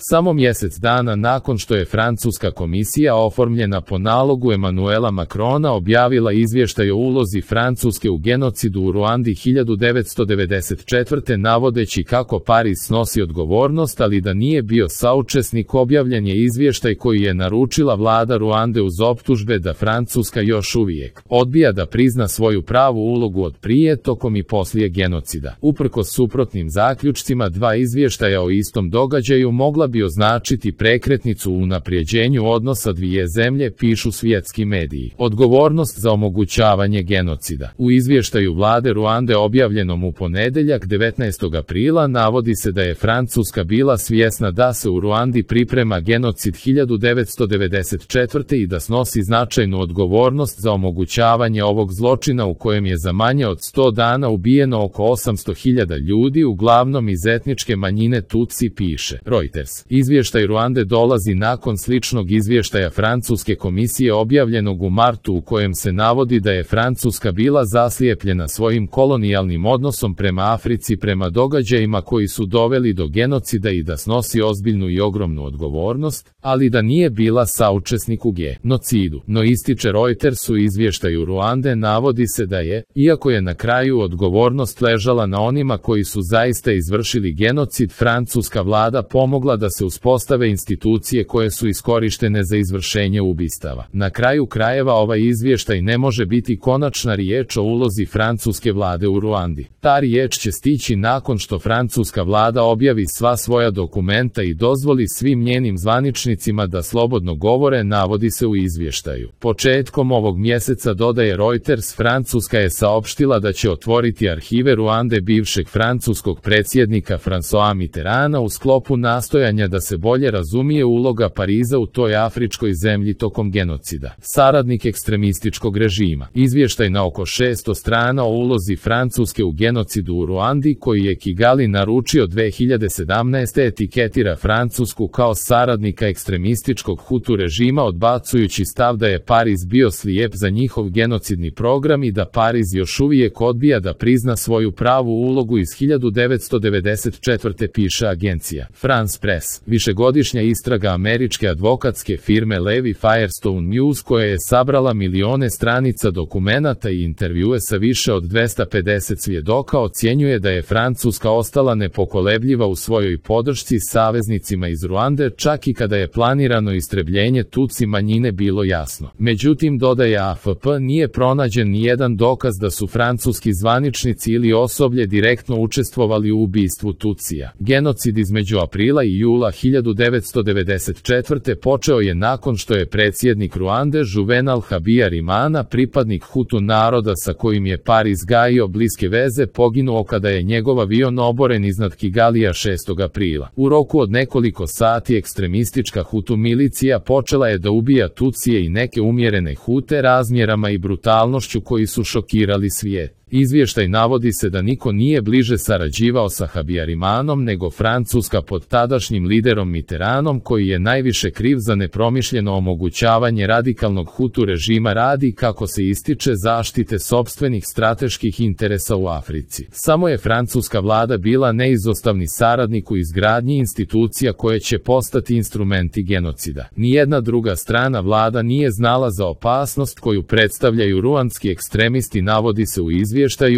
Samo mjesec dana nakon što je francuska komisija oformljena po nalogu Emanuela Macrona objavila izvještaj o ulozi Francuske u genocidu u Ruandi 1994. navodeći kako Pariz snosi odgovornost, ali da nije bio saučesnik, objavljen je izvještaj koji je naručila vlada Ruande uz optužbe da Francuska još uvijek odbija da prizna svoju pravu ulogu od prije, tokom i poslije genocida. Uprkos suprotnim zaključcima dva izvještaja o istom događaju mogla bi označiti prekretnicu u unaprijeđenju odnosa dvije zemlje, pišu svjetski mediji. Odgovornost za omogućavanje genocida. U izvještaju vlade Ruande objavljenom u ponedjeljak 19. aprila navodi se da je Francuska bila svjesna da se u Ruandi priprema genocid 1994. i da snosi značajnu odgovornost za omogućavanje ovog zločina u kojem je za manje od 100 dana ubijeno oko 800.000 ljudi, uglavnom iz etničke manjine Tutsi, piše Reuters. Izvještaj Ruande dolazi nakon sličnog izvještaja francuske komisije objavljenog u martu u kojem se navodi da je Francuska bila zaslijepljena svojim kolonijalnim odnosom prema Africi, prema događajima koji su doveli do genocida i da snosi ozbiljnu i ogromnu odgovornost, ali da nije bila saučesnik u genocidu. No, ističe Reuters, u izvještaju Ruande navodi se da je, iako je na kraju odgovornost ležala na onima koji su zaista izvršili genocid, francuska vlada pomogla da se uspostave institucije koje su iskorištene za izvršenje ubistava. Na kraju krajeva ovaj izvještaj ne može biti konačna riječ o ulozi francuske vlade u Ruandi. Ta riječ će stići nakon što francuska vlada objavi sva svoja dokumenta i dozvoli svim njenim zvaničnicima da slobodno govore, navodi se u izvještaju. Početkom ovog mjeseca, dodaje Reuters, Francuska je saopštila da će otvoriti arhive Ruande bivšeg francuskog predsjednika François Mitterranda u sklopu nastojanja da se bolje razumije uloga Pariza u toj afričkoj zemlji tokom genocida. Saradnik ekstremističkog režima. Izvještaj na oko 600 strana o ulozi Francuske u genocidu u Ruandi, koji je Kigali naručio 2017. etiketira Francusku kao saradnika ekstremističkog Hutu režima, odbacujući stav da je Pariz bio slijep za njihov genocidni program i da Pariz još uvijek odbija da prizna svoju pravu ulogu iz 1994. piše agencija France Press. Višegodišnja istraga američke advokatske firme Levi Firestone News, koja je sabrala milione stranica dokumenata i intervjue sa više od 250 svjedoka, ocjenjuje da je Francuska ostala nepokolebljiva u svojoj podršci saveznicima iz Ruande, čak i kada je planirano istrebljenje Tutsi manjine bilo jasno. Međutim, dodaje AFP, nije pronađen nijedan dokaz da su francuski zvaničnici ili osoblje direktno učestvovali u ubistvu Tutsija. Genocid između aprila i jula 1994. počeo je nakon što je predsjednik Ruande Juvenal Habyarimana, pripadnik Hutu naroda sa kojim je Pariz gajio bliske veze, poginuo kada je njegov avion oboren iznad Kigalija 6. aprila. U roku od nekoliko sati ekstremistička Hutu milicija počela je da ubija Tutsije i neke umjerene Hute razmjerama i brutalnošću koji su šokirali svijet. Izvještaj navodi se da niko nije bliže sarađivao sa Habyarimanom nego Francuska pod tadašnjim liderom Mitterrandom, koji je najviše kriv za nepromišljeno omogućavanje radikalnog Hutu režima radi, kako se ističe, zaštite sopstvenih strateških interesa u Africi. Samo je francuska vlada bila neizostavni saradnik u izgradnji institucija koje će postati instrumenti genocida. Nijedna druga strana vlada nije znala za opasnost koju predstavljaju ruandski ekstremisti, navodi se u izvještaju,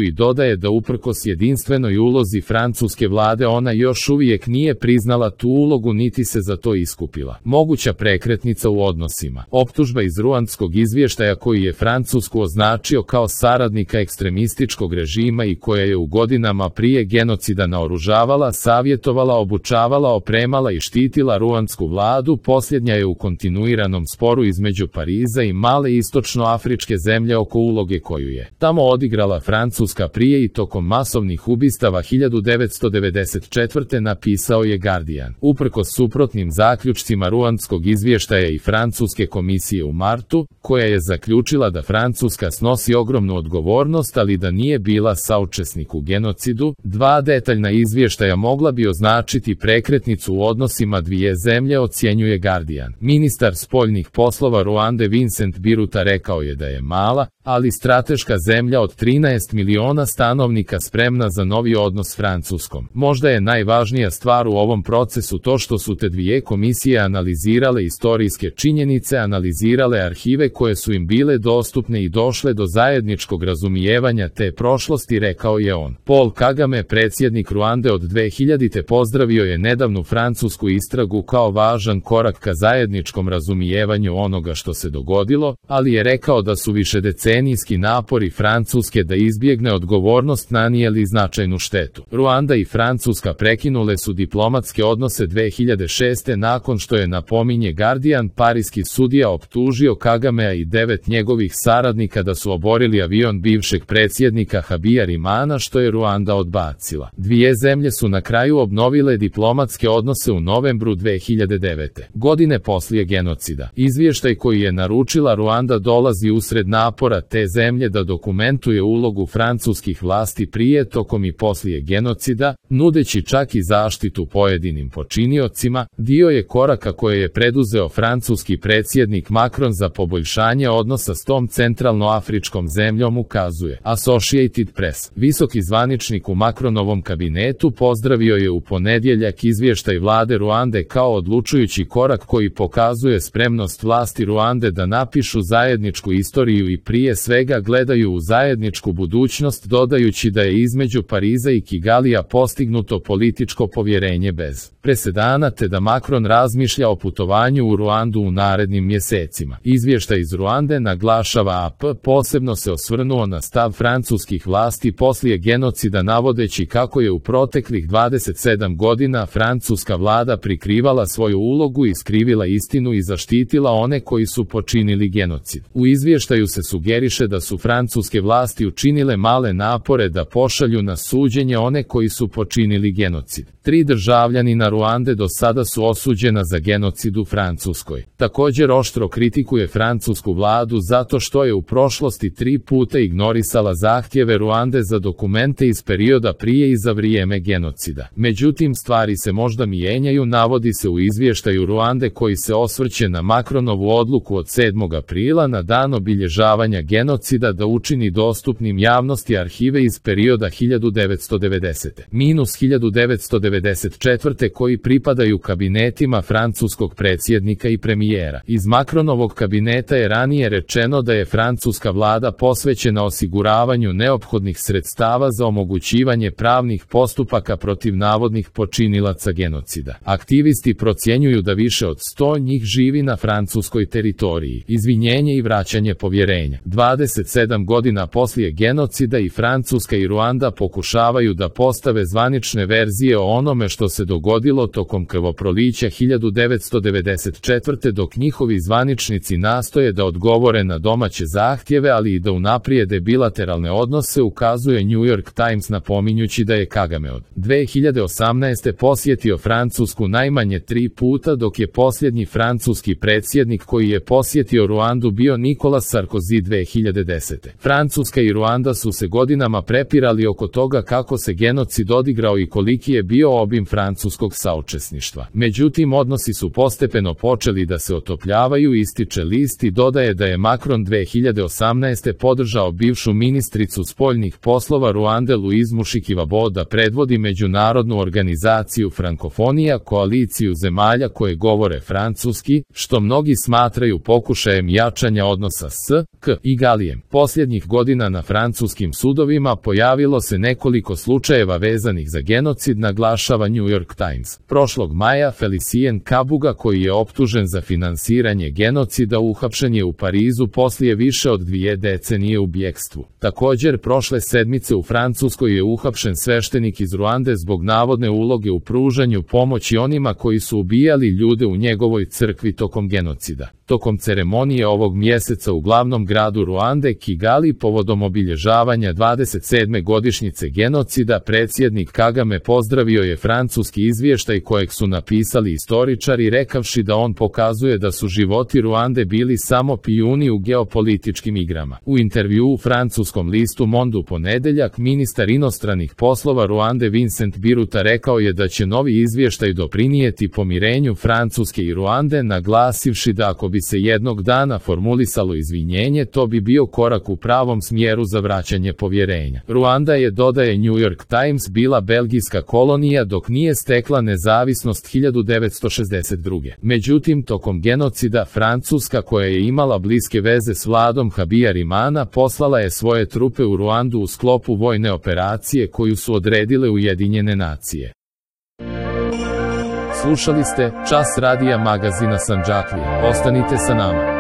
i dodaje da uprkos jedinstvenoj ulozi francuske vlade ona još uvijek nije priznala tu ulogu niti se za to iskupila. Moguća prekretnica u odnosima. Optužba iz ruandskog izvještaja koji je Francusku označio kao saradnika ekstremističkog režima i koja je u godinama prije genocida naoružavala, savjetovala, obučavala, opremala i štitila ruandsku vladu, posljednja je u kontinuiranom sporu između Pariza i male istočnoafričke zemlje oko uloge koju je tamo odigrala Francuska prije i tokom masovnih ubistava 1994. napisao je Guardian. Uprkos suprotnim zaključcima ruandskog izvještaja i francuske komisije u martu, koja je zaključila da Francuska snosi ogromnu odgovornost, ali da nije bila saučesnik u genocidu, dva detaljna izvještaja mogla bi označiti prekretnicu u odnosima dvije zemlje, ocjenjuje Guardian. Ministar spoljnih poslova Ruande Vincent Biruta rekao je da je mala, ali strateška zemlja od 13 12 miliona stanovnika spremna za novi odnos s Francuskom. Možda je najvažnija stvar u ovom procesu to što su te dvije komisije analizirale istorijske činjenice, analizirale arhive koje su im bile dostupne i došle do zajedničkog razumijevanja te prošlosti, rekao je on. Paul Kagame, predsjednik Ruande od 2000. pozdravio je nedavnu francusku istragu kao važan korak ka zajedničkom razumijevanju onoga što se dogodilo, ali je rekao da su višedecenijski napori Francuske da izbjegne odgovornost nanijeli značajnu štetu. Ruanda i Francuska prekinule su diplomatske odnose 2006. nakon što je, napominje Guardian, pariski sudija optužio Kagamea i 9 njegovih saradnika da su oborili avion bivšeg predsjednika Habyarimana, što je Ruanda odbacila. Dvije zemlje su na kraju obnovile diplomatske odnose u novembru 2009. godine poslije genocida. Izvještaj koji je naručila Ruanda dolazi usred napora te zemlje da dokumentuje ulogu francuskih vlasti prije, tokom i poslije genocida, nudeći čak i zaštitu pojedinim počiniocima. Dio je koraka koje je preduzeo francuski predsjednik Macron za poboljšanje odnosa s tom centralnoafričkom zemljom, ukazuje Associated Press. Visoki zvaničnik u Macronovom kabinetu pozdravio je u ponedjeljak izvještaj vlade Ruande kao odlučujući korak koji pokazuje spremnost vlasti Ruande da napišu zajedničku istoriju i prije svega gledaju u zajedničku budućnost, dodajući da je između Pariza i Kigalija postignuto političko povjerenje bez presedana te da Macron razmišlja o putovanju u Ruandu u narednim mjesecima. Izvještaj iz Ruande, naglašava AP, posebno se osvrnuo na stav francuskih vlasti poslije genocida, navodeći kako je u proteklih 27 godina francuska vlada prikrivala svoju ulogu, iskrivila istinu i zaštitila one koji su počinili genocid. U izvještaju se sugeriše da su francuske vlasti učinile male napore da pošalju na suđenje one koji su počinili genocid. 3 državljanina Ruande do sada su osuđena za genocid u Francuskoj. Također oštro kritikuje francusku vladu zato što je u prošlosti 3 puta ignorisala zahtjeve Ruande za dokumente iz perioda prije i za vrijeme genocida. Međutim, stvari se možda mijenjaju, navodi se u izvještaju Ruande koji se osvrće na Macronovu odluku od 7. aprila na dan obilježavanja genocida da učini dostupnim javnosti arhive iz perioda 1990-1994. koji pripadaju kabinetima francuskog predsjednika i premijera. Iz Macronovog kabineta je ranije rečeno da je francuska vlada posvećena osiguravanju neophodnih sredstava za omogućivanje pravnih postupaka protiv navodnih počinilaca genocida. Aktivisti procjenjuju da više od 100 njih živi na francuskoj teritoriji. Izvinjenje i vraćanje povjerenja. 27 godina poslije genocida i Francuska i Ruanda pokušavaju da postave zvanične verzije o onome što se dogodilo tokom krvoprolića 1994. dok njihovi zvaničnici nastoje da odgovore na domaće zahtjeve, ali i da unaprijede bilateralne odnose, ukazuje New York Times, napominjući da je Kagame od 2018. posjetio Francusku najmanje 3 puta, dok je posljednji francuski predsjednik koji je posjetio Ruandu bio Nicolas Sarkozy 2010. Francuska i Ruanda su se godinama prepirali oko toga kako se genocid odigrao i koliki je bio obim francuskog saučesništva. Međutim, odnosi su postepeno počeli da se otopljavaju, ističe list i dodaje da je Macron 2018. podržao bivšu ministricu spoljnih poslova Ruande Louise Mushikiwabo da predvodi međunarodnu organizaciju Frankofonija, koaliciju zemalja koje govore francuski, što mnogi smatraju pokušajem jačanja odnosa s Kigalijem. Posljednjih godina na francuskim sudovima pojavilo se nekoliko slučajeva vezanih za genocid, naglašava New York Times. Prošlog maja Felicien Kabuga, koji je optužen za finansiranje genocida, uhapšen je u Parizu poslije više od 2 decenije u bjekstvu. Također, prošle sedmice u Francuskoj je uhapšen sveštenik iz Ruande zbog navodne uloge u pružanju pomoći onima koji su ubijali ljude u njegovoj crkvi tokom genocida. Tokom ceremonije ovog mjeseca u glavnom gradu Ruande, Kigali, povodom obilježavanja 27. godišnjice genocida, predsjednik Kagame pozdravio je francuski izvještaj kojeg su napisali istoričari, rekavši da on pokazuje da su životi Ruande bili samo pijuni u geopolitičkim igrama. U intervjuu u francuskom listu Monde u ponedjeljak, ministar inostranih poslova Ruande Vincent Biruta rekao je da će novi izvještaj doprinijeti pomirenju Francuske i Ruande, naglasivši da ako bi se jednog dana formulisalo izvinjenje, to bi bio korak u pravom smjeru za vraćanje povjerenja. Ruanda je, dodaje New York Times, bila belgijska kolonija dok nije stekla nezavisnost 1962. Međutim, tokom genocida Francuska, koja je imala bliske veze s vladom Habyarimana, poslala je svoje trupe u Ruandu u sklopu vojne operacije koju su odredile Ujedinjene nacije. Slušali ste Čas radija magazina Sandžaklija. Ostanite sa nama.